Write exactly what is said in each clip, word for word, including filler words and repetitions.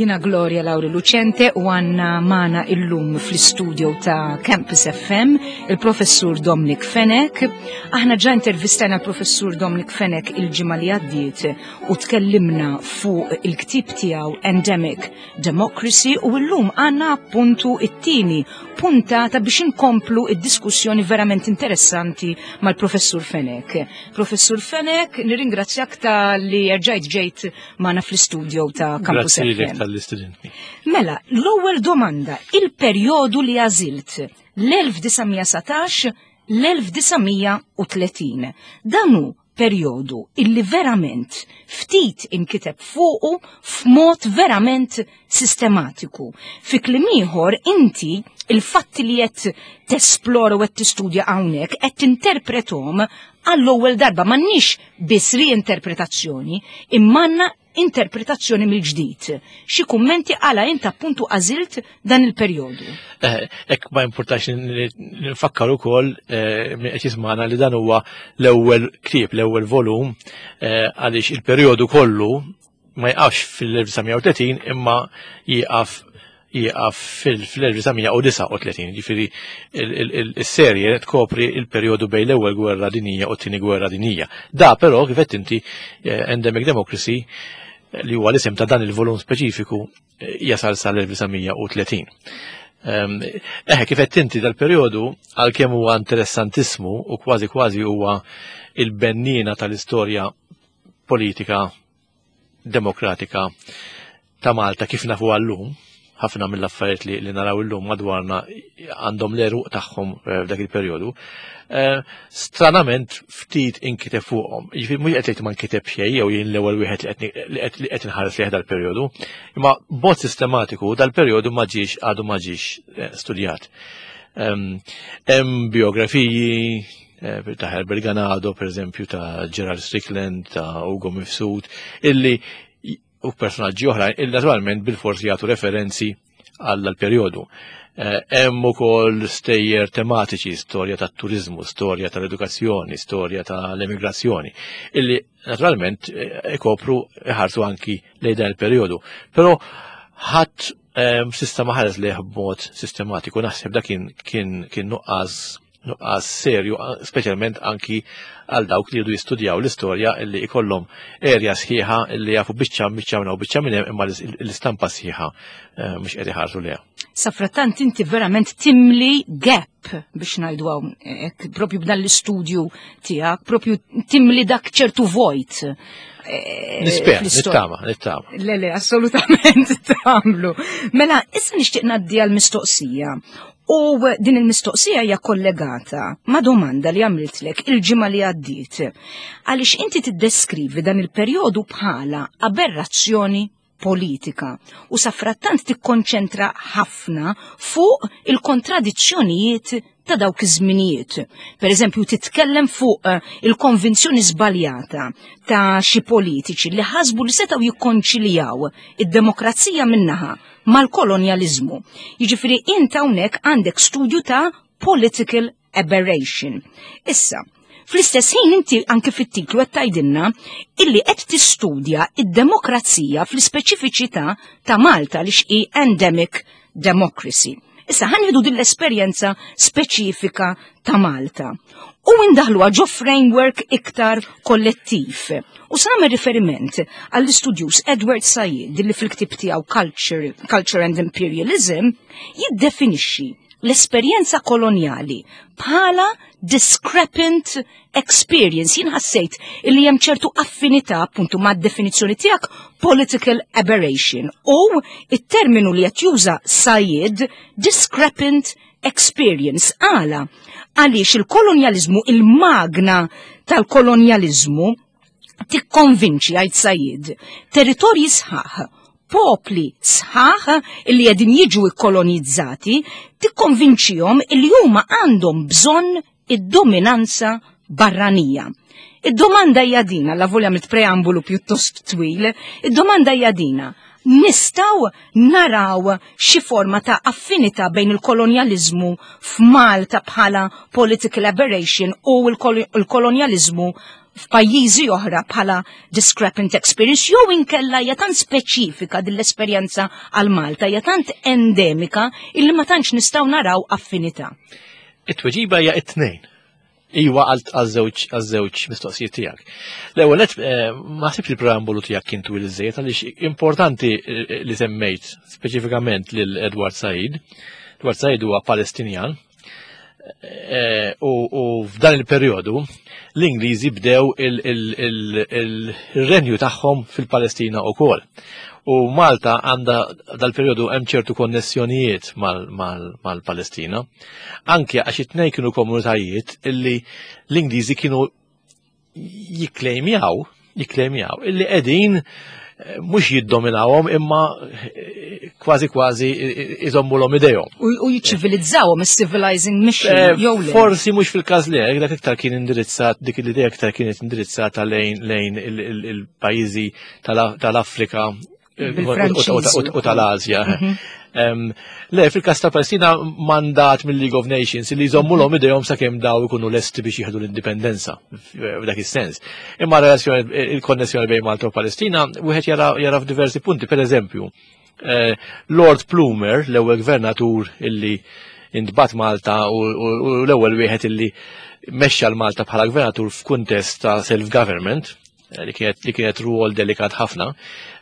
Jiena Gloria Lauri Lucente u għandna magħna illum fl-istudio ta' Campus F M il-professur Dominic Fenech. Aħna ġa intervistajna l-professur Dominic Fenech il-ġimgħa li għaddiet u tkellimna fuq il-ktib tiegħu Endemic Democracy u llum għandna appuntu it-tieni puntata biex inkomplu id-diskussjoni verament interessanti mal-professur Fenech. Professur Fenech, nirringrazzjak ta' li erġajt ġejt magħna fl-istudio ta' Campus Grazzi lilek F M. talli stedintni. Mela, l-ewwel domanda, il-perjodu li għażilt l-elf disa' mija satax l-elf disa' mija u tletin. Dan hu perjodu illi verament ftit inkiteb fuqu f'mod verament sistematiku. Fi kliem ieħor, inti il-fatti li qed tesplora u qed tistudja hawnhekk qed tinterpretom għall-ewwel darba, m'għandniex biss riinterpretazzjoni, imma għandna interpretazzjoni mill-ġdid. Xi kummenti għala int appuntu għażilt dan il-perjodu? Eh, Ek ma importax nfakkar ukoll eh, min qed jismana li dan huwa l-ewwel ktieb, l-ewwel volum, eh, għaliex il-perjodu kollu ma jqafx fil-elf disa' mija u tletin imma jieqaf jieqaf fil-elf disa' mija u disgħa u tletin, ġifieri il-serje tkopri il-perjodu bejn l-ewwel gwerra dinija u t-tieni gwerra dinija. Da però, kif qed inti, eh, Endemic Democracy, eh, li huwa l-isem ta' dan il-volum speċifiku, eh, jasal sal-elf disa' mija u tletin. Ehm, Eħe, kif qed inti, dal-perjodu, għalkemm huwa interessantissmu u kważi kważi huwa il-bennina tal-istorja politika demokratika ta' Malta kif nafu għallum, ħafna mill-affarijiet li, li naraw illum madwarna għandhom l-għeruq tagħhom eh, f'dak il-perjodu. Eh, stranament ftit inkiteb fuqhom. Jiġifieri mhux qed ngħid ma nkiteb xejn jew jien l-ewwel wieħed li qed li qed li qed inħares lejh dal-perjodu, imma b'mod sistematiku dal-perjodu ma ġiex għadu ma ġiex eh, studjat. Hemm biografiji ta' Herbert Ganado, per eżempju, ta' Gerald Strickland, ta' Ugo Mifsud, illi u personaġġi oħra, illi naturalment bil-forsi jagħtu referenzi għall perjodu. Hemm ukoll stejjer tematiċi, storja tat-turizmu, storja tal-edukazzjoni, storja tal-emigrazzjoni, illi naturalment ikopru, iħarsu anki lejn dan il-perjodu. Però ħadd s'issa ma ħares lejh b'mod sistematiku, naħseb dak kien kien kien nuqqas nuqqas serju, speċjalment anki għal dawk li jridu jistudjaw l-istorja, illi ikollhom erja sħiħa illi jafu biċċa biċċa minn biċċa minn hemm, imma l-istampa sħiħa eh, mhux qed iħarsu lejha. Safrattant inti verament timli gap, biex ngħidu hekk, propju b'dan l-istudju tiegħek, propju timli dak ċertu vojt. Eh, Nispera, nittama, nittama. Le, le, assolutament tagħmlu. Mela, issa nixtieq ngħaddi għal-mistoqsija. U din il-mistoqsija hija kollegata ma' domanda li għamiltlek il-ġimgħa li għaddiet. Għaliex inti tiddeskrivi dan il-perjodu bħala aberrazzjoni politika u safrattant tikkonċentra ħafna fuq il-kontradizzjonijiet ta' dawk iż-żminijiet. Per eżempju, titkellem fuq eh, il-konvinzjoni żbaljata ta' xi politiċi li ħasbu li setgħu jikkonċiljaw id-demokrazija minnaħa mal-kolonjaliżmu. Jiġifieri int hawnhekk għandek studju ta' political aberration. Issa, fl-istess ħin inti anke fit-titlu qed tgħidilna illi qed tistudja id-demokrazija fl-ispeċifiċità ta' Malta li xi endemic democracy. Issa ħa nieħdu din l-esperjenza speċifika ta' Malta u indaħluha ġo framework iktar kollettiv. U sa nagħmel riferiment għall-istudjuż Edward Said li fil-ktib tiegħu Culture, Culture and Imperialism jiddefinixxi l-esperjenza koloniali bħala discrepant experience. Jien ħassejt illi hemm ċertu affinità appuntu ma' definizzjoni tiegħek political aberration u it-terminu li qed juża Said, discrepant experience. Għala? Għaliex il-kolonjalizmu, il-magna tal-kolonjalizmu tikkonvinċi, għajt Said, territorji sħaħ, Popli sħaħ illi qegħdin jiġu ikkolonizzati tikkonvinċihom illi huma għandhom bżonn id-dominanza barranija. Id-domanda hija dina, la volja mit preambulu pjuttost twil, id-domanda hija dina. Nistgħu naraw xi forma ta' affinità bejn il-kolonjaliżmu f'Malta bħala political aberration u l-kolonjaliżmu f'pajjiżi oħra bħala discrepant experience, jew inkella hija tant speċifika din l-esperjenza għal Malta, hija tant endemika illi ma tantx nistgħu naraw affinità? It-tweġiba hija it-tnejn. Iwa għal-żewġ għaż-żewġ mistoqsijiet tiegħek. L-ewwel nett, eh, ma ħsibx il-preambolu tiegħek kien twil iżejjed għaliex importanti eh, li semmejt speċifikament lil Edward Said. Edward Said huwa Palestinjan eh, u f'dan il-perjodu l-Ingliżi bdew il-renju tagħhom fil-Palestina wkoll. U Malta għandha dal-perjodu hemm ċertu konnessjonijiet mal-Palestina. Anke għax it-tnejn kienu komunitajiet illi l-Ingliżi kienu jikklejmjaw, jikklejmjaw, illi qegħdin eh, mhux jiddominawhom imma eh, kważi kważi iżommulhom idejhom. U jiċċivilizzawhom, is-civilizing mission eh, jew le? Forsi mhux fil-każ li dak iktar kien indirizzat, dik l-idea iktar kienet indirizzata lejn lejn il-pajjiżi tal-Afrika u tal-Azja. Mhm. Le, fil-kas ta' Palestina, mandat mill-League of Nations li jżommu idejhom sakemm daw ikunu lesti biex jieħdu l-indipendenza f'dak is-sens. Imma relazzjoni, il-konnessjoni bejn Malta u Palestina wieħed jara f'diversi punti. Per eżempju, eh, Lord Plumer, l-ewwel gvernatur illi intbagħat Malta u l-ewwel wieħed illi mexxa l-Malta bħala gvernatur f'kuntest ta' self-government, eh, li kienet li kienet ruol delikat ħafna.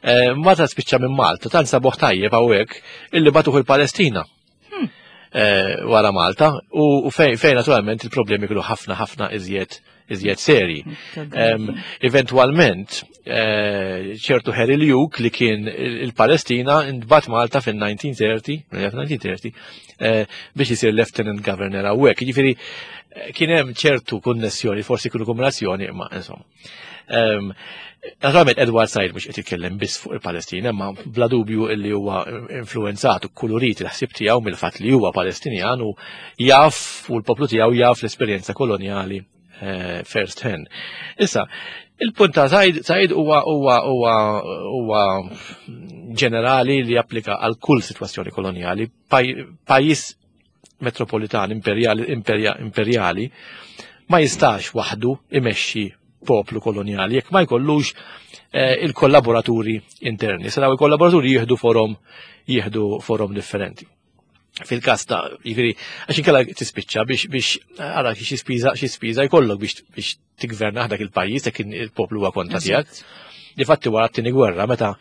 Eh, Meta spiċċa minn Malta, tant sabuh tajjeb hawnhekk illi bagħtuh il-Palestina. Hmm. Eh, wara Malta u fejn fejn naturalment il-problemi kienu ħafna ħafna iżjed iżjed seri. Eventualment, ċertu Harry Luke li kien il-Palestina intbagħat Malta fin-elf disa' mija u tletin, elf disa' mija u tletin, biex jisir Lieutenant Governor hawnhekk. Jiġifieri kien hemm ċertu konnessjoni, forsi kienu kombinazzjoni, imma insomma. Naturalment Edward Said mhux qed jitkellem biss fuq il-Palestina, imma bla dubju illi huwa influenzat u kulurit il-ħsieb tiegħu mill-fatt li huwa Palestinjan u jaf u l-poplu tiegħu jaf l-esperjenza kolonjali eh, first hand. Issa, il-punt ta' Said Said huwa huwa huwa huwa ġenerali li japplika għal kull sitwazzjoni kolonjali. Pajjiż metropolitan imperjali, imperjali ma jistax waħdu imexxi poplu koloniali jekk ma jkollux eh, il-kollaboraturi interni. Saraw il-kollaboraturi jieħdu forom jieħdu forom differenti. Fil-kas ta', jiġifieri, għax inkella tispiċċa biex biex għara xi spiża xi spiża jkollok biex biex tigverna dak il-pajjiż jekk il-poplu huwa kontra tiegħek. Difatti wara t-tieni gwerra, meta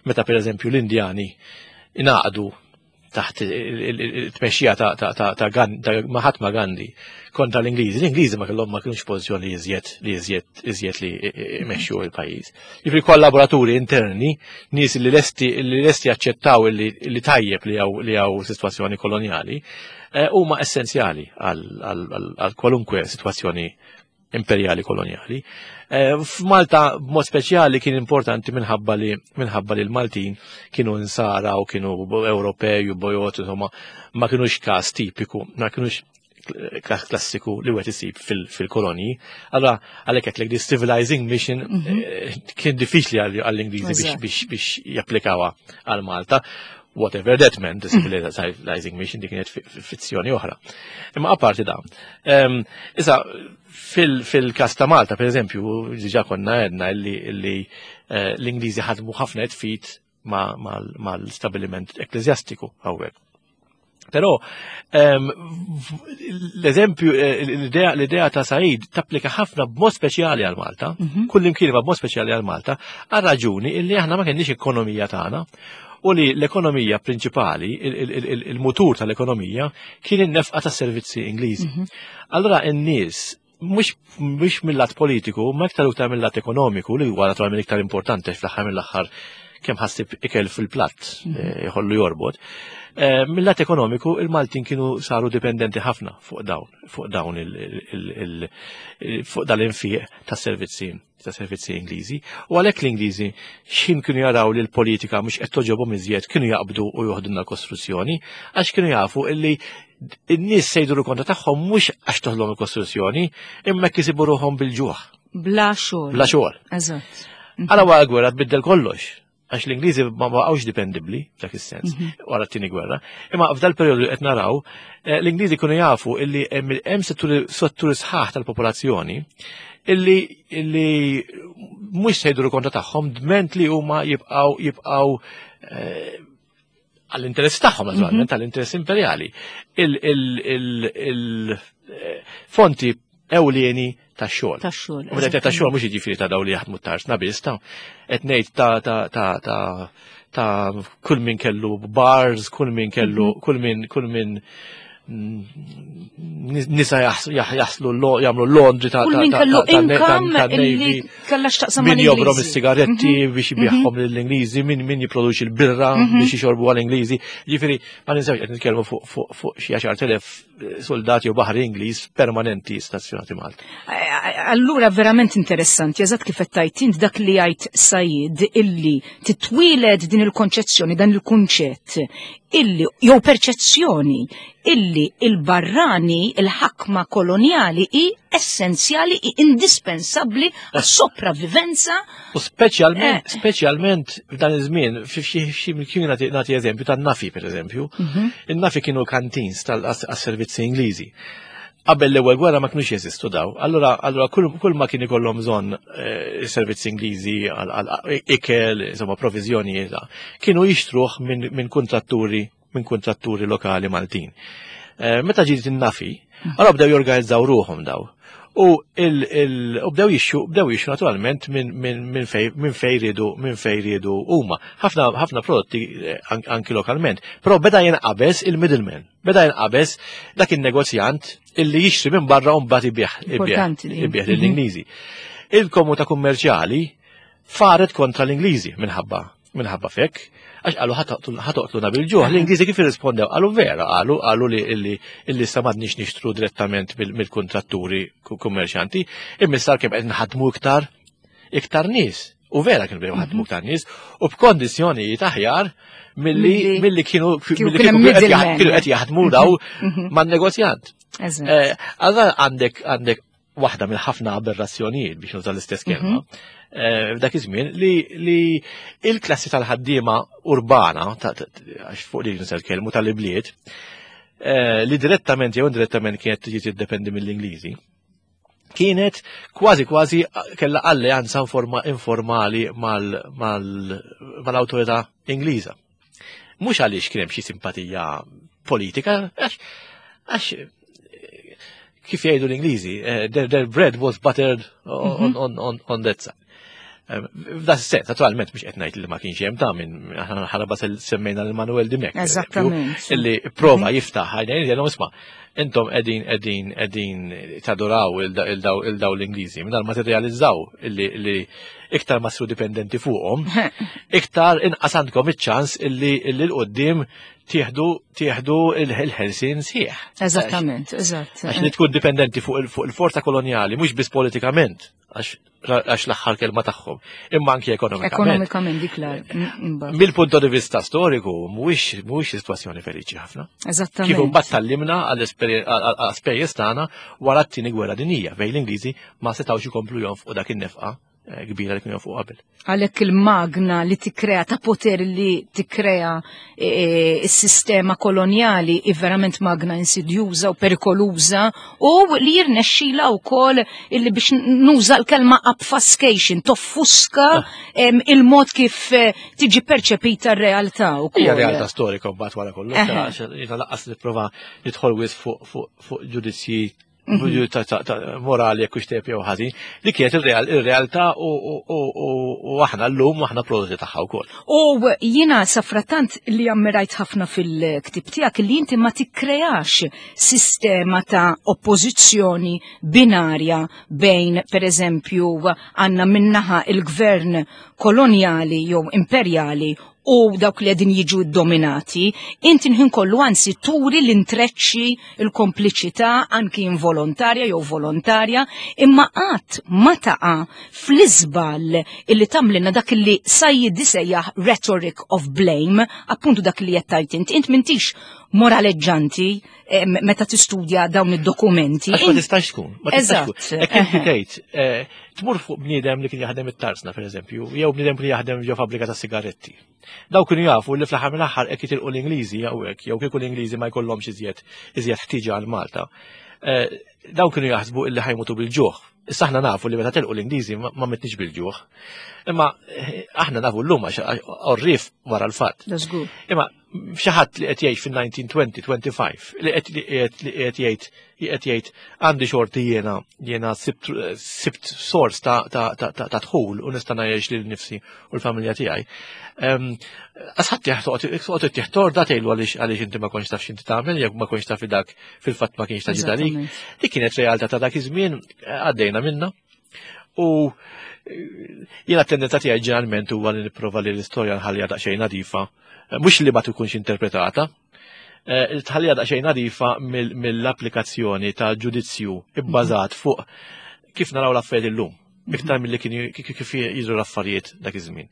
meta pereżempju l-Indjani ingħaqdu taħt il-tmexxija ta' ta' Mahatma Gandhi kontra l-Ingliżi. L-Ingliżi ma kellhom ma kienux pożizzjoni li iżjed li iżjed iżjed li jmexxu il-pajjiż. Jiġifieri kollaboraturi interni, nies li lesti li lesti jaċċettaw li tajjeb li hawn li hawn sitwazzjoni kolonjali, eh, huma essenzjali għal kwalunkwe sitwazzjoni imperjali kolonjali. Eh, F'Malta b'mod speċjali kien importanti minħabba li minħabba li l-Maltin kienu insara u kienu Ewropej u bojod, insomma, ma kienux każ tipiku, ma kienux klassiku li wieħed isib fil-kolonji. Allora għalhekk qed this civilizing mission mhm. eh, kien diffiċli għall-Ingliżi biex biex japplikawha għal Malta. Whatever that meant, the civilizing mission, dik kienet fizzjoni oħra. Imma apparti da. Issa, fil-kas ta' Malta, per eżempju, diġà konna għedna li eh, l-Ingliżi ħadmu ħafna fit mal-stabiliment ekklesjastiku hawnhekk. Però l-eżempju, eh, l-idea ta' Said tapplika ħafna b'mod speċjali għal Malta, mhm. kull imkien b'mod speċjali għal Malta, għal raġuni illi aħna ma kenniex ekonomija tagħna u li l-ekonomija prinċipali, il-mutur tal-ekonomija, kien in-nefqa tas servizzi Ingliżi. Mhm. Allora n-nies mhux mhux mill-lat politiku, ma iktar iktar mill-lat ekonomiku, li huwa naturalment iktar importanti, fl-aħħar mill-aħħar kemm ħa ssib ikel fil-platt eh, jħollu jorbot. Eh, Mill-lat ekonomiku, il-Maltin kienu saru dipendenti ħafna fuq dawn, fuq dawn il- il- il- il- fuq dal-infiq ta' servizzi ta' servizzi Ingliżi. U għalhekk l-Ingliżi x'ħin kienu jaraw li l-politika mhux qed toġobhom iżjed kienu jaqbdu u joħdulna l-Kostituzzjoni għax kienu jafu illi n-nies se jduru kontra tagħhom mhux għax toħlom il-Kostituzzjoni imma jsibu ruħhom bil-ġuħ, Bla xogħol. bla xogħol. Eżatt. Għala wara gwerra tbiddel kollox. Għax l-Ingliżi ma baqgħux dipendibbli f'dak is-sens wara t-tieni gwerra. Imma f'dal perjodu li qed naraw, eh, l-Ingliżi kienu jafu illi hemm hemm setturi setturi sħaħ tal-popolazzjoni illi illi mhux se jduru kontra tagħhom dment li huma jibqgħu jibqgħu eh, għall-interess tagħhom naturalment, għall-interess imperjali. Il-fonti ewlieni tax-xogħol. Tax-xogħol. U meta ta' xogħol mhux jiġifieri ta' daw li jaħdmu t-tarzna biss ta' qed ngħid ta' ta' ta' ta' ta' kull min kellu bars, kull min kellu kull min kull min mm, nisa jaħs- jaħ- jaħslu lo- jagħmlu laundry ta' Kull ta' min ta' kellu ta' ta' income ta' illi Navy, kellha x'taqsam min jobrom mal-Ingliżi. is-sigaretti biex jbigħhom lill-Ingliżi, min min jipproduċi l-birra biex jixorbu għall-Ingliżi. Ġifieri ma ninsewx qed nitkellmu fuq fuq fuq xi għaxar elef soldati u baħri Ingliż permanenti stazzjonati Malta. Allura verament interessanti, eżatt kif qed tgħid int dak li jgħid Sajid illi titwieled din il-konċezzjoni, dan il-kunċett illi jew perċezzjoni illi il-barrani, il-ħakma koloniali hi essenzjali, hi indispensabbli għas-sopravivenza. U speċjalment, Eh. speċjalment f'dan iż-żmien, fi xi xi kien nagħti nagħti eżempju tan-N A F I pereżempju. In-N A F I kienu canteens tal-servizzi Ingliżi. Qabel l-ewwel gwerra ma kinux jeżistu daw. Allura allura kull kull ma kien ikollhom bżonn eh, servizzi Ingliżi għal għal ikel, insomma provviżjonijiet, kienu jixtruh minn min kontratturi minn kontratturi lokali Maltin. Eh, Meta ġiet in-N A F I, allura bdew jorganizzaw ruħhom daw. U il, il, u bdew jixtru, bdew jixtru naturalment minn min, min fej min fej riedu minn fej riedu huma. Ħafna ħafna prodotti eh, an, anki lokalment. Però beda jinqabeż il-middleman. Beda jinqabeż dak il-negozjant illi jixtri minn barra u mbagħad ibigħ ibigħ Importanti din. ibigħ lill-Ingliżi. Il-komunità kummerċjali faret kontra l-Ingliżi minħabba minħabba fek, għax qalu ħa toqtluna bil-ġuħ. L-Ingliżi kif irrispondew? Qalu vera, qalu qalu li illi illi sa m'għadniex nixtru direttament mill- mill-kontratturi ku- kummerċjanti, imma sar kemm qed nħadmu iktar iktar nies. U vera kienu bdew ħadmu iktar nies u b'kondizzjonijiet aħjar milli Milli- milli kienu kieku milli kien hemm kieku qed jaħ- middleman. kienu qed jaħdmu daw man-negozjant. Eżatt. Eh, Allora għandek għandek waħda mill ħafna aberrazzjonijiet biex nuża l-istess kelma. eh, F'dak iż-żmien li li il-klassi tal-ħaddiema urbana, ta- ta- għax fuq li nisa kelmu tal-ibliet, eh, li direttament jew indirettament kienet tiġi tiddependi mill-Ingliżi, kienet kważi kważi kella alleanza informa, informali mal-awtorità Ingliża. Mhux għaliex kien hemm xi simpatija politika, għax għax kif jgħidu l-Ingliżi, eh, their, their bread was buttered on, on, on, on that side. Eh, F'da sens, naturalment, mhux qed ngħid li ma kienx hemm ta' minn aħna ħaraba semmejna lil Manuel Dimech. Per eżempju, Eżattament. illi prova jiftaħ għajnejn jgħidilhom, isma', intom qegħdin qegħdin qegħdin tadoraw il-daw il-daw l-Ingliżi mingħajr ma tirrealizzaw illi illi iktar ma ssiru dipendenti fuqhom, iktar inqas għandkom iċ-ċans illi illi l-qoddim tieħdu tieħdu il-ħelsien sħiħ. Eżattament, eżatt. Għax li tkun dipendenti fuq il- fuq il-forza koloniali, mhux biss politikament, għax għax l-aħħar kelma tagħhom, imma anki ekonomikament. Ekonomikament dik l imbagħad. Mill-punt di vista storiku, mhuwiex mhuwiex sitwazzjoni feliċi ħafna. Kif Eżattament. imbagħad tgħallimna għall-ispejjeż tagħna wara t-tieni gwerra dinjija fejn l-Ingliżi ma setgħux ikomplu jonfqu dak in-nefqa eh, kbira li kienu jonfqu qabel. Għalhekk il-magna li tikkrea ta' poter li tikkrea e, s-sistema koloniali i verament magna insidjuża u perikoluża u li jirnexxila wkoll illi biex nuża l-kelma obfuscation, toffuska em, il-mod kif eh, tiġi perċepita r-realtà wkoll. Hija realtà storika mbagħad wara kollox, Eħe. għax jiena lanqas nipprova nidħol wisq fuq fuq fuq ġudizzji mhm. morali jekk hux jew ħażin, li kienet ir-realtà u aħna llum aħna prodotti tagħha wkoll. U jiena safrattant li ammirajt ħafna fil-ktib tiegħek li inti ma tikkreax sistema ta' oppożizzjoni binarja bejn pereżempju għandna minnaħa il-gvern kolonjali jew imperjali u dawk li qegħdin jiġu dominati, inti nħin kollu anzi turi l-intreċċi, il-kompliċità anki involontarja jew volontarja, imma qatt ma taqa' fl-iżball illi tagħmlilna dak li Said isejjaħ rhetoric of blame, appuntu dak li qed tgħid int, int m'intix moraleġġanti eh, meta tistudja dawn id-dokumenti. Għax ma tistax tkun, ma tistax tkun. Hekk inti tgħid, eh, tmur fuq bniedem li kien jaħdem it-tarsna pereżempju, jew bniedem li jaħdem ġo fabbrika ta' sigaretti. Daw kienu jafu li fl-aħħar mill-aħħar hekk jitilqu l-Ingliżi jew hekk, jew kieku l-Ingliżi ma jkollhomx iżjed iżjed ħtieġa għal Malta. Eh, daw kienu jaħsbu illi ħa jmutu bil-ġuħ. Issa aħna nafu li meta telqu l-Ingliżi ma mitniex bil-ġuħ. Imma eh, aħna nafu llum għax għorrief wara l-fatt. Imma xi ħadd li qed jgħix fin-nineteen twenty, twenty-five li qed li qed jgħid qed jgħid għandi xorti jiena jiena sibt sibt sors ta' ta' dħul u nista' ngħix lil nifsi u l-familja tiegħi. Asħadd toqgħod ittieħ torda tgħidlu għaliex għaliex inti ma kontx taf x'inti tagħmel jekk ma kontx taf dak fil-fatt ma kienx ta' ġidalik. Dik kienet realtà ta' dak iż-żmien, għaddejna minna. U jiena tendenza tiegħi ġeneralment huwa li nipprova li l-istorja nħallija daqsxejn nadifa, mhux li ma tkunx interpretata, eh, tħallija daqsxejn nadifa mill-applikazzjoni ta' ġudizzju ibbażat fuq kif naraw l-affarijiet illum, iktar milli kien kif jidhru l-affarijiet dak iż-żmien.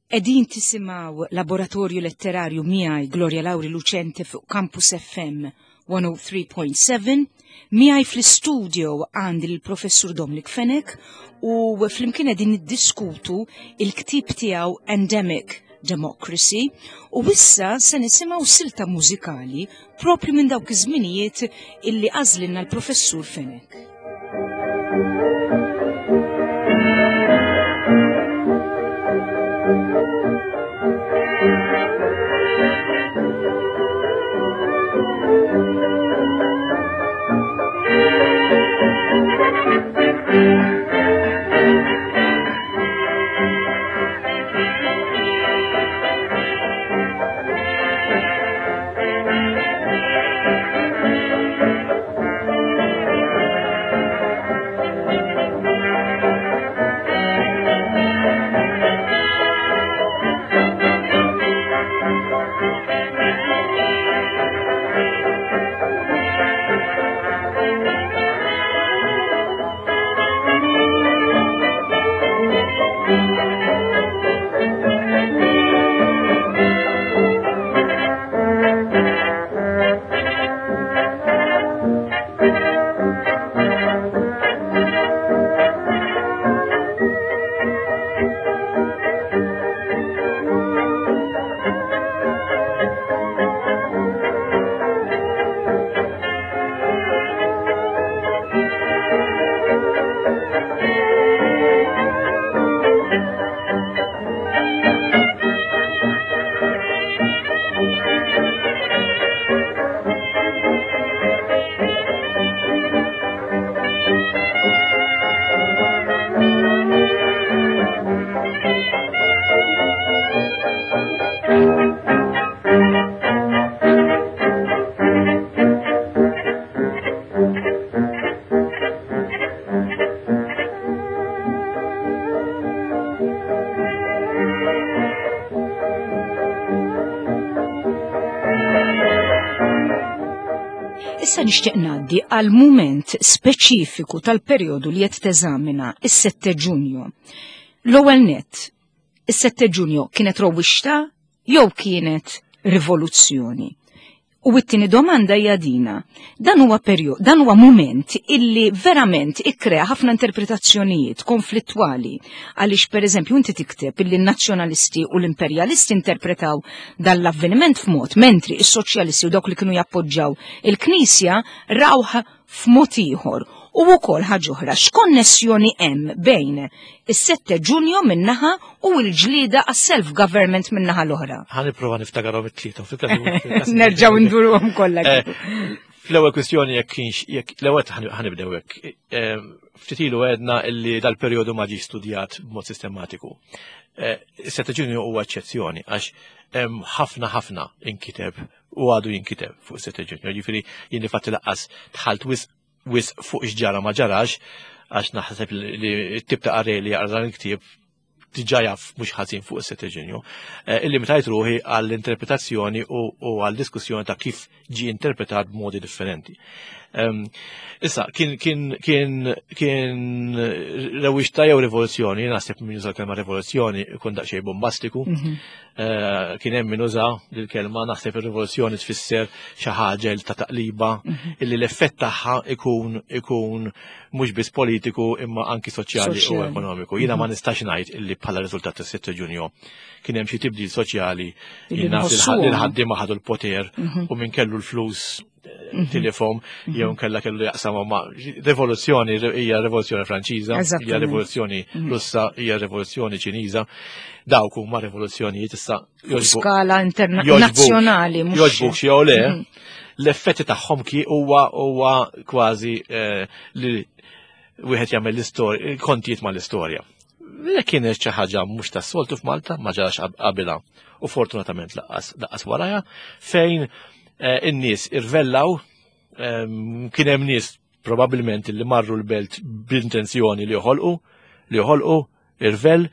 Qegħdin tisimgħu Laboratorju Letterarju miegħi Gloria Lauri Lucente fuq Campus F M one oh three point seven. Miegħi fl-istudio għandi l-Professur Dominic Fenech u flimkien qegħdin niddiskutu il-ktib tiegħu Endemic Democracy u issa se nisimgħu silta mużikali propju minn dawk iż-żminijiet illi għażlilna l-Professur Fenech. Issa nixtieq ngħaddi għal mument speċifiku tal-perjodu li qed teżamina, is-sette Ġunju. L-ewwel net, is-sette Ġunju kienet rewwixta jew kienet rivoluzzjoni? U t-tieni domanda hija dina. Dan huwa perjodu, dan huwa mument illi verament ikkrea ħafna interpretazzjonijiet konflittwali, għaliex pereżempju inti tikteb illi n-nazzjonalisti u l-imperjalisti interpretaw dan l-avveniment f'mod, mentri is-soċjalisti u dawk li kienu jappoġġaw il-Knisja rawh f'mod ieħor. U wkoll ħaġa oħra, x'konnessjoni hemm bejn is-sette Ġunju min-naħa u l-ġlieda għas-self-government min-naħa l-oħra? Ħa nipprova niftakarhom it-tlieta. Nerġgħu ndurhom kollha. Eh, Fl-ewwel kwistjoni, jekk kienx, jekk l-ewwel ħa nibdew hekk. Ftit ilu għedna illi dal-perjodu ma ġie studjat b'mod sistematiku. Is-sette Ġunju huwa eċċezzjoni għax hemm ħafna ħafna inkiteb u għadu jinkiteb fuq is-sette Ġunju. Ġifieri jien fatti lanqas dħalt wisq wisq fuq x'ġara ma ġarax, għax naħseb li t-tip ta' qarrej li jaqra dan il-ktieb diġà jaf mhux ħażin fuq is-sette Ġunju. Illimitajt ruħi għall-interpretazzjoni u għall-diskussjoni ta' kif ġi interpretat b'modi differenti. Issa, kien kien kien kien rewwixta jew rivoluzzjoni, naħseb min juża l-kelma rivoluzzjoni ikun daqsxejn bombastiku. Kien hemm min uża l-kelma, naħseb ir-rivoluzzjoni tfisser xi ħaġa ta' taqliba illi l-effett tagħha ikun ikun mhux biss politiku imma anki soċjali u ekonomiku. Jiena ma nistax ngħid illi bħala riżultat tas-sitta Ġunju kien hemm xi tibdil soċjali, li l-ħaddiema ħadu l-poter u min kellu l-flus tilifhom jew nkella kellu jaqsam ma' rivoluzzjoni. Hija rivoluzzjoni Franċiża, hija rivoluzzjoni Russa, hija rivoluzzjoni Ċiniża. Dawk huma rivoluzzjonijiet issa. Skala internazzjonali. Jogħġbuk jew le, l-effetti tagħhom ki huwa huwa kważi li wieħed jagħmel l-istorja, kontijiet mal-istorja. Kienet xi ħaġa mhux tas-soltu f'Malta, ma ġarax qabilha u fortunatament lanqas lanqas warajha, fejn in-nies irvellaw. Kien hemm nies probabbilment li marru l-belt b'intenzjoni li joħolqu li joħolqu irvell,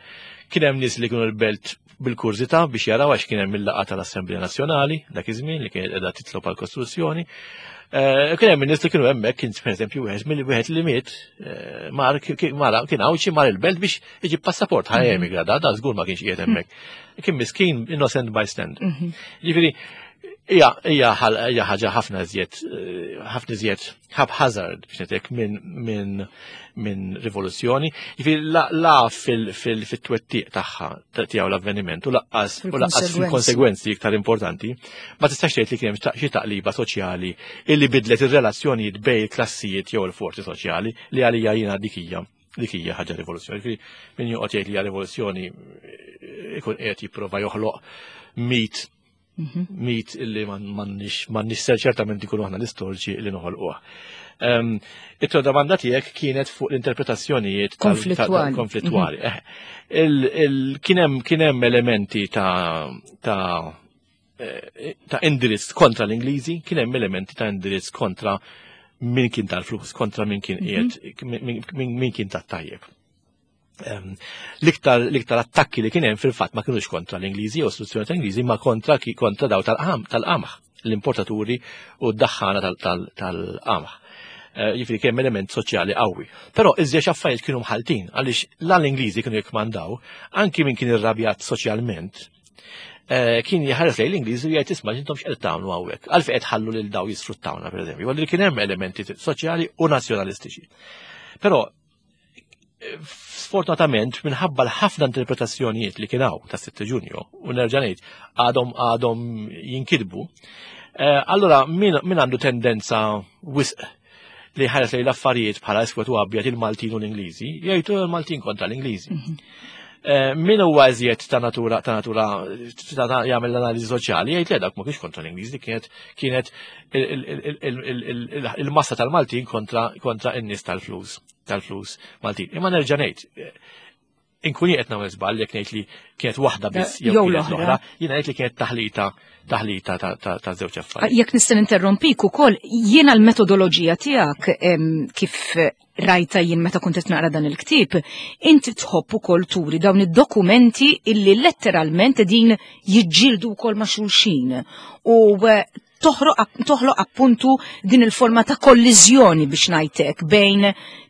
kien hemm nies li kienu l-belt bil-kurżità biex jaraw, għax kien hemm il-laqgħa tal-Assemblea Nazzjonali dak iż-żmien li kienet qiegħda titlob għall-Kostituzzjoni. Kien hemm nies li kienu hemmhekk, kien pereżempju wieħed mill wieħed li miet mar kien Għawdxi, mar il-belt biex iġib passaport ħa emigra, da da żgur ma kienx qiegħed hemmhekk. Kien miskin innocent bystander. Ġifieri hija hija hija ħaġa ħafna iżjed ħafna iżjed haphazard, biex ngħidlek, minn minn minn rivoluzzjoni. Ġifieri la, la fil-twettiq tagħha tiegħu l-avveniment u lanqas u lanqas fil-konsegwenzi iktar importanti, ma tistax tgħid li kien hemm xi taqliba soċjali illi bidlet ir-relazzjonijiet bejn il-klassijiet jew il-forzi soċjali, li għalija jiena dik hija dik hija ħaġa rivoluzzjoni. Ġifieri min joqgħod jgħid li hija rivoluzzjoni ikun qiegħed jipprova joħloq mit mit illi m'għandniex ċertament ikunu aħna l-istoriċi li noħolquha. It-tieni domanda tiegħek kienet fuq l-interpretazzjonijiet konflittwali. Kien hemm kien hemm elementi ta' ta' ta' indirizz kontra l-Ingliżi, kien hemm elementi ta' indirizz kontra min kien tal-flus, kontra min kien qiegħed, min kien tat-tajjeb. L-iktar l-iktar attakki li kien hemm fil-fatt ma kienux kontra l-Ingliżi u istituzzjoni tal-Ingliżi, ma kontra kontra daw tal-qamħ, l-importaturi u d-daħħana tal-qamħ. Jiġifieri kien element soċjali qawwi. Però iżjed affarijiet kienu mħaltin, għaliex la l-Ingliżi kienu jikkmandaw, anki min kien irrabjat soċjalment kien jħares lejn l-Ingliżi u jgħid: "Isma', intom x'qed tagħmlu hawnhekk? Għalfejn qed ħallu lil daw jisfruttawna?" pereżempju. Għalli kien hemm elementi soċjali u nazzjonalistiċi. Però sfortunatament, minħabba l-ħafna interpretazzjonijiet li kien hawn ta' sitta Ġunju, u nerġa' ngħid għadhom għadhom jinkitbu, allora min għandu tendenza wisq li ħares lejn l-affarijiet bħala iswed u abjad, il-Maltin u l-Ingliżi, jgħidu l-Maltin kontra l-Ingliżi. Min huwa iżjed ta' natura ta' natura jagħmel l-analiżi soċjali jgħid li dak ma kienx kontra l-Ingliżi, kienet kienet il-massa tal-Maltin kontra kontra n-nies tal-flus tal-flus Maltin. Imma nerġa' ngħid, inkun qed nagħmel żball jekk ngħid li kienet waħda biss jew kienet l-oħra, jiena ngħid li kienet taħlita taħlita ta' żewġ affarijiet. Jekk nista' ninterrompik ukoll, jiena l-metodoloġija tiegħek kif rajta jien meta kont qed naqra dan il-ktieb, inti tħobb ukoll turi dawn id-dokumenti illi letteralment din jiġġieldu wkoll ma' xulxin. U toħloq appuntu din il-forma ta' kolliżjoni, biex ngħidlek, bejn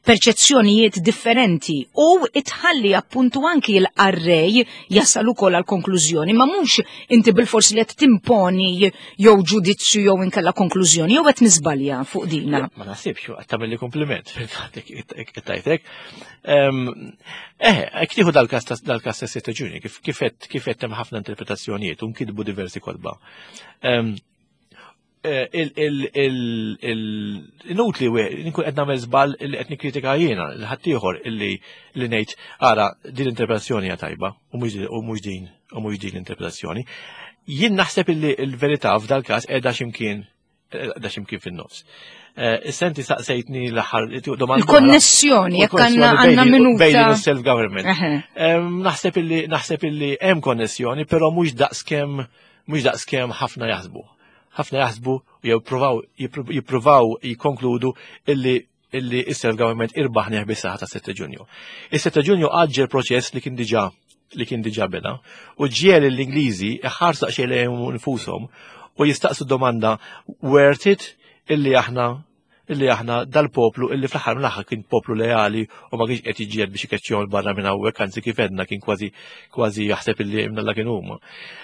perċezzjonijiet differenti u itħalli appuntu anki l-qarrej jasal ukoll għal konklużjoni, ma mhux inti bil-forsi li qed timponi jew ġudizzju jew inkella konklużjoni, jew qed niżbalja fuq dina? Ma naħsibx, qed tagħmel kompliment fil-fatt tajtek. Eh, jekk tieħu dal-każ dal-każ ta' Ġunju, kif kif kif qed hemm ħafna interpretazzjonijiet u nkitbu diversi kotba. Il-nut li nkun qed nagħmel żball li qed nikkritika jiena l ħaddieħor illi li ngħid: "Ara, din l-interpretazzjoni hija tajba u mhux din u mhux din l-interpretazzjoni." Jien naħseb illi l-verità f'dal każ qiegħda x'imkien Da ximkien fin-nofs. Eh, issa inti saqsejtni l-aħħar domanda. Il-konnessjoni, jekk għandna għandna minuta. Bejn self-government. Naħseb illi naħseb illi hemm konnessjoni, però mhux daqskemm mhux daqskemm ħafna jaħsbu. Ħafna jaħsbu jew jippruvaw jippruvaw jikkonkludu illi illi is-self-government irbaħnieh bis-saħħa ta' sitta Ġunju. Is-sitta Ġunju għaġġel proċess li kien diġà li kien diġà beda u ġiegħel l-Ingliżi iħarsu daqsxejn lejhom infushom u jistaqsu domanda: worth it illi aħna illi aħna dal-poplu, illi fl-aħħar mill-aħħar kien poplu leali u ma kienx qed jiġġieled biex ikeċċihom barra minn hawnhekk, anzi, kif għedna, kien kważi kważi jaħseb illi imnalla kien huma.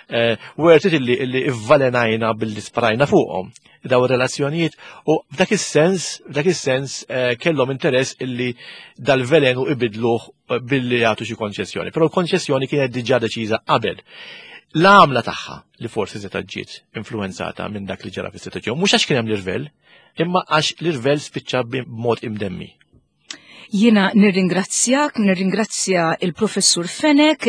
Eh, worth it illi illi ivvalenajna billi sparajna fuqhom daw ir-relazzjonijiet? U f'dak is-sens f'dak is-sens eh, kellhom interess illi dal-velenu ibidluh billi jagħtu xi konċessjoni. Però l-konċessjoni kienet diġà deċiża qabel. L-għamla tagħha li forsi se ġiet influenzata minn dak li ġara fis-sitta Ġunju, mhux għax kien hemm l-irvell, imma għax l-irvell spiċċa b'mod imdemmi. Jiena nirringrazzjak, nirringrazzja il-Professur Fenech,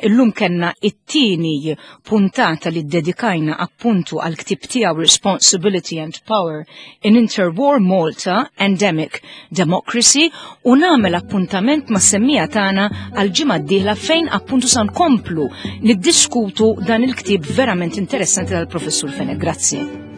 illum kellna it-tieni puntata li dedikajna appuntu għal ktib tiegħu Responsibility and Power in Interwar Malta Endemic Democracy u nagħmel appuntament mas-semmiegħa tagħna għal ġimgħa d-dieħla, fejn appuntu sa nkomplu niddiskutu dan il-ktib verament interessanti tal-Professur Fenech. Grazzi.